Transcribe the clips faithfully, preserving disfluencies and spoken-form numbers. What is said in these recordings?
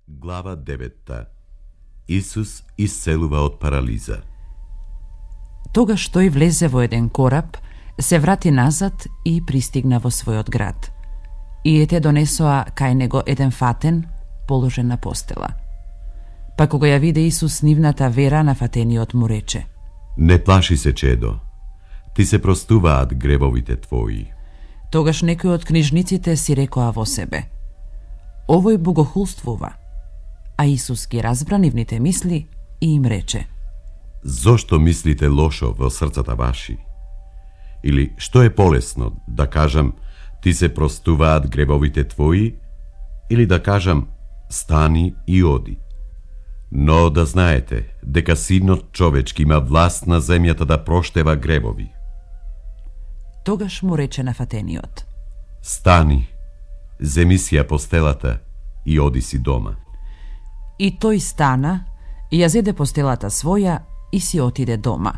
Глава девета. Исус исцелува од парализа. Тогаш тој влезе во еден кораб, се врати назад и пристигна во својот град. И ете донесоа кај него еден фатен, положен на постела. Па кога ја виде Исус нивната вера, на фатениот му рече: Не плаши се, чедо, ти се простуваат гревовите твои. Тогаш некои од книжниците си рекоа во себе: Овој богохулствува. А Исус ги разбра нивните мисли и им рече: Зошто мислите лошо во срцата ваши? Или што е полесно, да кажам, ти се простуваат гревовите твои, или да кажам, стани и оди? Но да знаете, дека Синот човечки има власт на земјата да проштева гревови. Тогаш му рече на фатениот: Стани, земи си ја постелата и оди си дома. И тој стана, ја зеде постелата своја и си отиде дома.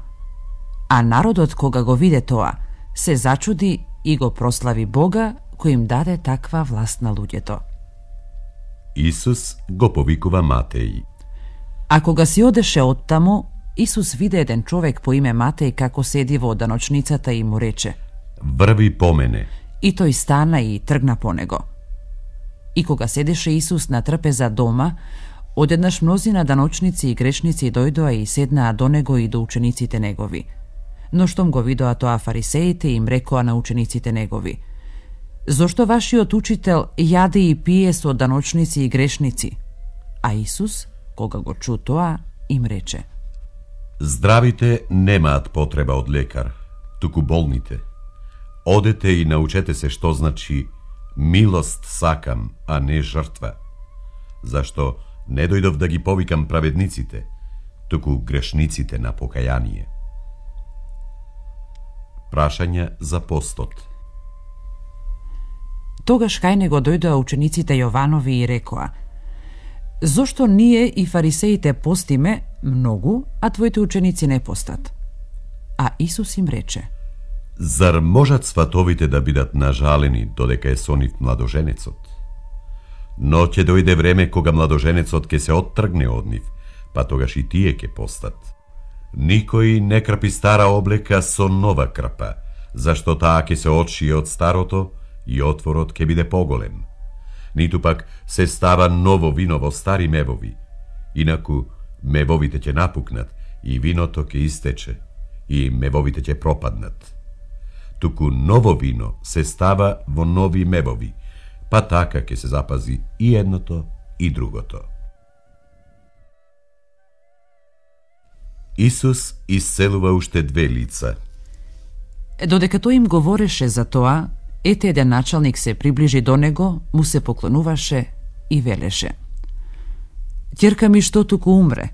А народот, кога го виде тоа, се зачуди и го прослави Бога, кој им даде таква власт на луѓето. Исус го повикува Матеј. А кога си одеше оттаму, Исус виде еден човек по име Матеј како седи во даночницата и му рече: Врви по мене. И тој стана и тргна по него. И кога седеше Исус на трпеза дома, одеднаш мнозина даночници и грешници дојдоа и седнаа до него и до учениците негови. Но штом го видоа тоа фарисеите, им рекоа на учениците негови: Зошто вашиот учител јаде и пие со даночници и грешници? А Исус, кога го чу тоа, им рече: Здравите немаат потреба од лекар, туку болните. Одете и научете се што значи милост сакам, а не жртва. Зашто не дојдов да ги повикам праведниците, туку грешниците на покаяние. Прашања за постот. Тогаш кај него дојдоа учениците Јованови и рекоа: Зошто ние и фарисеите постиме многу, а твоите ученици не постат? А Исус им рече: Зар можат сватовите да бидат нажалени додека е со нив младоженецот? Но ќе дојде време кога младоженецот ќе се оттргне од нив, па тогаш и тие ќе постат. Никој не крпи стара облека со нова крпа, зашто таа ќе се отшие од старото и отворот ќе биде поголем. Ниту пак се става ново вино во стари мевови, инаку мевовите ќе напукнат и виното ќе истече и мевовите ќе пропаднат. Туку ново вино се става во нови мевови, па така ќе се запази и едното и другото. Исус исцелува уште две лица. Додека тој им говореше за тоа, ете еден началник се приближи до него, му се поклонуваше и велеше: Ќерка ми што туку умре,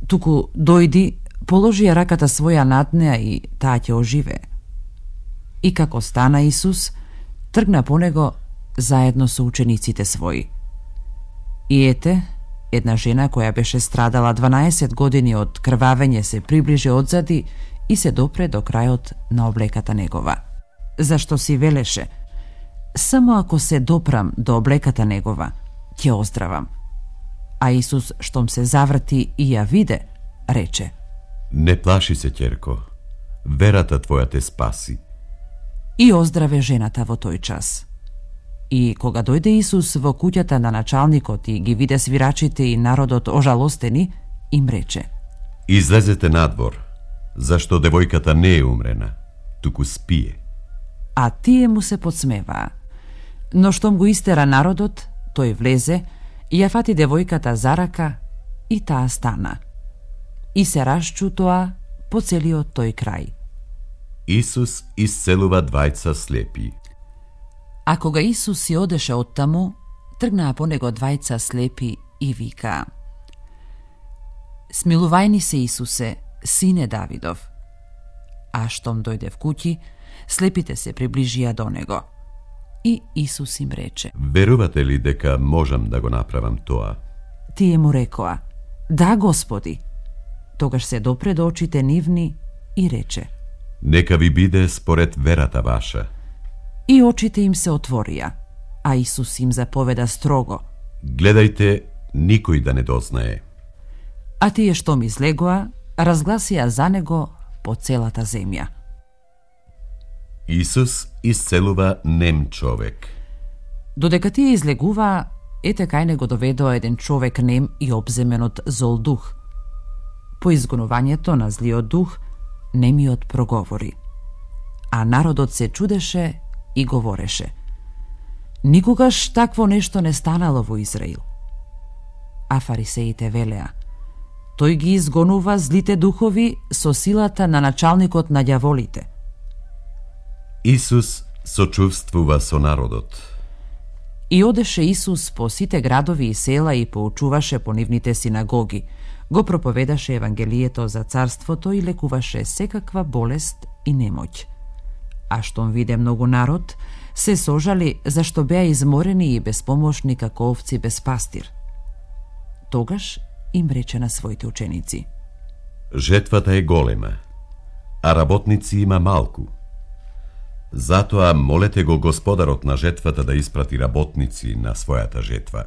туку дојди, положи ја раката своја над неа и таа ќе оживее. И како стана Исус, тргна по него заедно со учениците своји. И ете, една жена која беше страдала дванаесет години од крвавење се приближи одзади и се допре до крајот на облеката негова. Зашто си велеше: Само ако се допрам до облеката негова, ќе оздравам. А Исус, штом се заврти и ја виде, рече: Не плаши се, ќерко, верата твоја те спаси. И оздраве жената во тој час. И кога дојде Исус во куќата на началникот и ги виде свирачите и народот ожалостени, им рече: Излезете надвор, зашто девојката не е умрена, туку спие. А тие му се подсмеваа. Но штом го истера народот, тој влезе и ја фати девојката за рака и таа стана. И се расчутоа по целиот тој крај. Исус исцелува двајца слепи. А кога Исус си одеше оттаму, тргнаа по него двајца слепи и викаа: Смилувајни се, Исусе, сине Давидов. А штом дојде в куќи, слепите се приближија до него. И Исус им рече: Верувате ли дека можам да го направам тоа? Тие му рекоа: Да, Господи. Тогаш се допре до очите нивни и рече: Нека ви биде според верата ваша. И очите им се отворија, а Исус им заповеда строго: Гледајте никој да не дознае. А тие што ми излегоа, разгласија за него по целата земја. Исус исцелува нем човек. Додека тие излегуваа, ете кај него доведоа еден човек нем и обземен од зол дух. По изгонувањето на злиот дух, немиот проговори. А народот се чудеше и говореше: никогаш такво нешто не станало во Израил. А фарисеите велеа: тој ги изгонува злите духови со силата на началникот на ѓаволите. Исус сочувствува со народот. И одеше Исус по сите градови и села и поучуваше по нивните синагоги, го проповедаше евангелието за царството и лекуваше секаква болест и немоќ. А штом виде многу народ, се сожали зашто беа изморени и безпомошни како овци без пастир. Тогаш им рече на своите ученици: жетвата е голема, а работници има малку. Затоа молете го Господарот на жетвата да испрати работници на својата жетва.